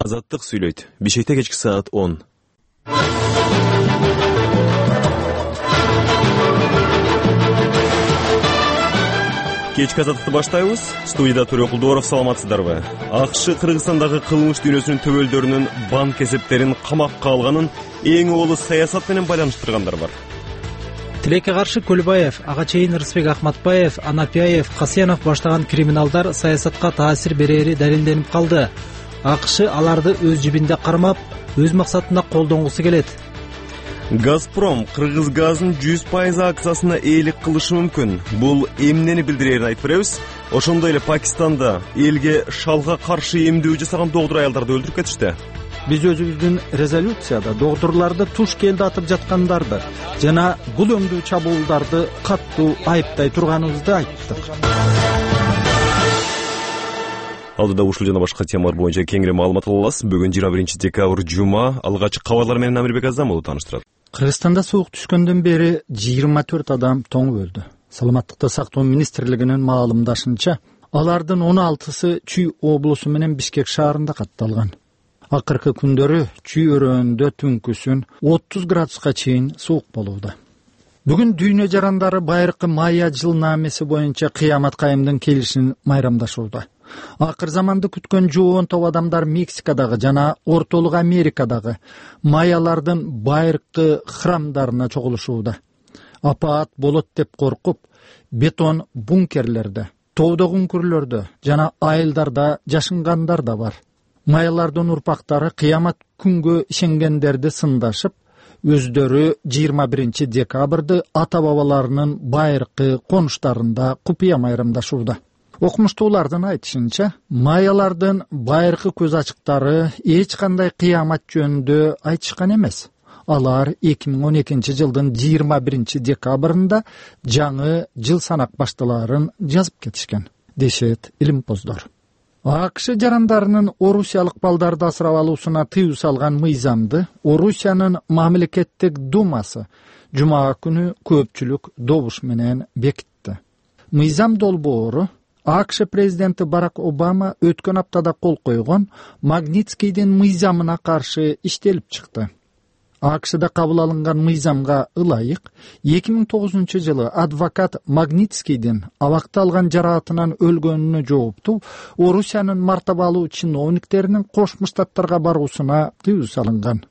Азаттык сүйлөйт. Бишкекте кечки саат 10. Кечки азаттыкты баштайбыз. Студияда Төрө Кулдуоров, саламатсыздарбы? АКШ Кыргызстандагы кылмыш дүйнөсүнүн төбөлдөрүнүн банк эсептерин камакка алганын эң олу саясат менен байланыштыргандар бар. Тилекке каршы Көлбаев, ага чейин Рысбек Ахматбаев, Анапияев, Касенов баштаган криминалдар саясатка таасир берери далилденип калды. АКШ аларды өз жибинде кармап, өз максатына колдонгусу келет. Газпром Кыргыз газынын 100% акциясына ээлик кылышы мүмкүн. Бул эмнени билдирерин айтып беребиз. Ошондой эле Пакистанда элге шалга каршы эмдөө жасаган доктур аялдарды өлтүрүп кетишти. Биз өзүбүздүн резолюцияда доктурларды туш келди атып жаткандарды жана бул өңдүү чабуулдарды каттуу айыптай турганыбызды айттык. Алдыда ушул жана башка темалар боюнча кеңири маалымат алабыз. Бүгүн 21 декабрь жума. Алгачкы кабарлар менен Амирбек Азамов тааныштырат. Кыргызстанда суук түшкөндөн бери 24 адам тоңуп өлдү. Саламаттыкты сактоо министрлигинин маалымдашынча, алардын 16сы Чүй облусу менен Бишкек шаарында катталган. Акыркы күндөрү Чүй өрөөндө түнкүсүн 30 градуска чейин суук болууда. Бүгүн дүйнө жарандары байыркы майя жылнамеси боюнча кыямат кайымдын келишин майрамдашууда. Акыр заманды күткөн жоон топ адамдар Мексикадагы жана Ортолук Америкадагы майялардын байыркы храмдарына чогулушууда. Апаат болот деп коркуп, бетон бункерлерде, тоодо күңкүрлөрдө жана айылдарда жашынгандар да бар. Майялардын урпактары кыямат күнгө ишенгендерди сындашып, өздөрү 21 декабрды ата бабаларынын байыркы конуштарында купуя майрамдашууда. Окумуштуулардын айтышынча, майялардын байыркы көз ачыктары эч кандай кыямат жөнүндө айтышкан эмес. Алар 2012 жылдын 21 декабрында жаңы жыл санак башталаарын жазып кетишкен, дешет илимпоздор. АКШ жарандарынын орусиялык балдарды асырап алуусуна тыюу салган мыйзамды Орусиянын мамлекеттик думасы жума күнү көпчүлүк добуш менен бекитти. Мыйзам долбоору АКШ президенти Барак Обама өткөн аптада кол койгон Магнитскийдин мыйзамына каршы иштелип чыкты. АКШда кабыл алынган мыйзамга ылайык 2009 жылы адвокат Магнитскийдин абакта алган жараатынан өлгөнүнө жооптуу Орусиянын мартабалуу чиновниктеринин Кошмо Штаттарга баруусуна тыюу салынган.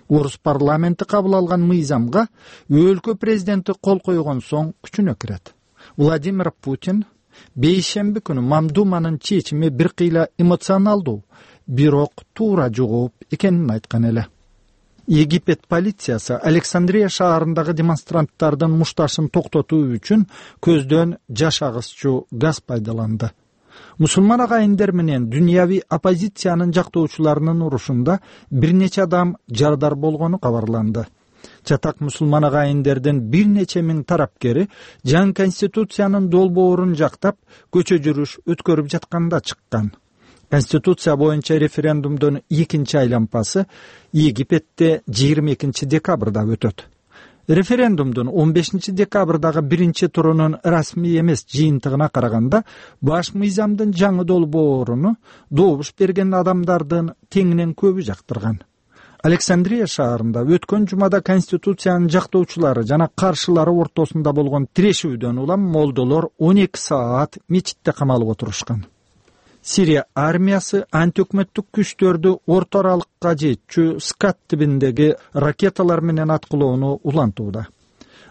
Орус парламенти кабыл алган мыйзамга өлкө президенти кол койгон соң күчүнө кирет. Владимир Путин бейшемби күнү Мамдуманын чечими бир кыйла эмоционалдуу, бирок туура жооп экенин айткан эле. Египет полициясы Александрия шаарындагы демонстранттардын мушташын токтотуу үчүн көздөн жаш агызчу газ пайдаланды. Мусулман агайындар менен дүйнөви оппозициянын жактоочуларынын урушунда бир нече адам жарадар болгону кабарланды. Чатак мусулман агайындардын бир нече миң тарапкери жаңы конституциянын долбоорун жактап көчө жүрүш өткөрүп жатканда чыккан. Конституция боюнча референдумдун экинчи айлампасы Египетте 22 декабрда өтөт. Референдумдун 15 декабрдагы биринчи турунун расмий эмес жыйынтыгына караганда, баш мыйзамдын жаңы долбооруну добуш берген адамдардын теңинен көбү жактырган. Александрия шаарында өткөн жумада конституциянын жактоочулары жана каршылары ортосунда болгон тирешүүдөн улам молдолор 12 саат мечитте камалып отурушкан. Сирия армиясы антиөкмөттүк күчтөрдү орто аралыкка жетчү Скат тибиндеги ракеталар менен аткылоону улантууда.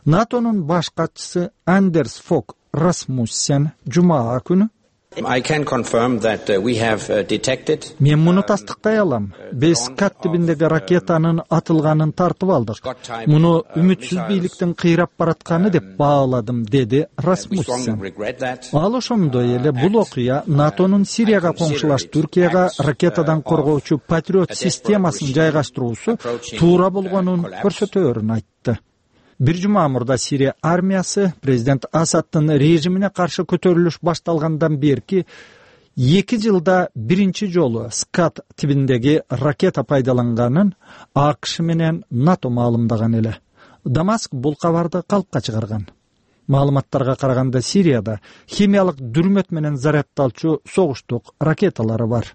НАТОнун баш катчысы Андерс Фок Расмуссен жумаа күнү мен муну тастыктай алам. Биз Скат тибиндеги ракетанын атылганын тартып алдык. Муну үмүтсүз бийликтин кыйрап баратканы деп бааладым, деди Расмуссен. Ал ошондой эле бул окуя НАТОнун Сирияга коңшулаш Түркияга ракетадан коргоочу Патриот системасын жайгаштыруусу туура болгонун көрсөтөөрүн айтты. Бир жума мурда Сирия армиясы президент Асадтын режимине каршы көтөрүлүш башталгандан берки 2 жылда биринчи жолу Скат тибиндеги ракета пайдаланганын АКШ менен НАТО маалымдаган эле. Дамаск бул кабарды калпка чыгарган. Маалыматтарга караганда Сирияда химиялык дүрмөт менен зарядталчу согуштук ракеталары бар.